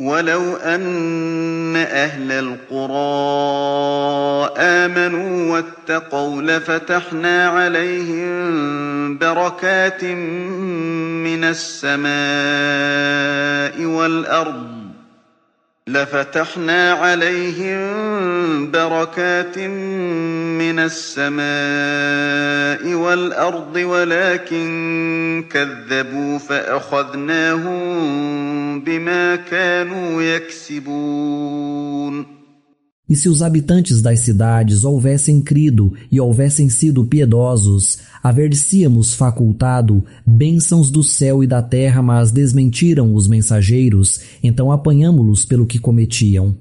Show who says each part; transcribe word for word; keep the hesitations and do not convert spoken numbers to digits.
Speaker 1: وَلَوْ أَنَّ أَهْلَ الْقُرَىٰ آمَنُوا وَاتَّقَوْا لَفَتَحْنَا عَلَيْهِم بَرَكَاتٍ مِّنَ السَّمَاءِ وَالْأَرْضِ لفتحنا عليهم بركات من السماء والأرض ولكن كذبوا فأخذناهم بما كانوا يكسبون.
Speaker 2: E se os habitantes das cidades houvessem crido e houvessem sido piedosos, haver-lhes-íamos facultado bênçãos do céu e da terra, mas desmentiram os mensageiros, então apanhamo-los pelo que cometiam.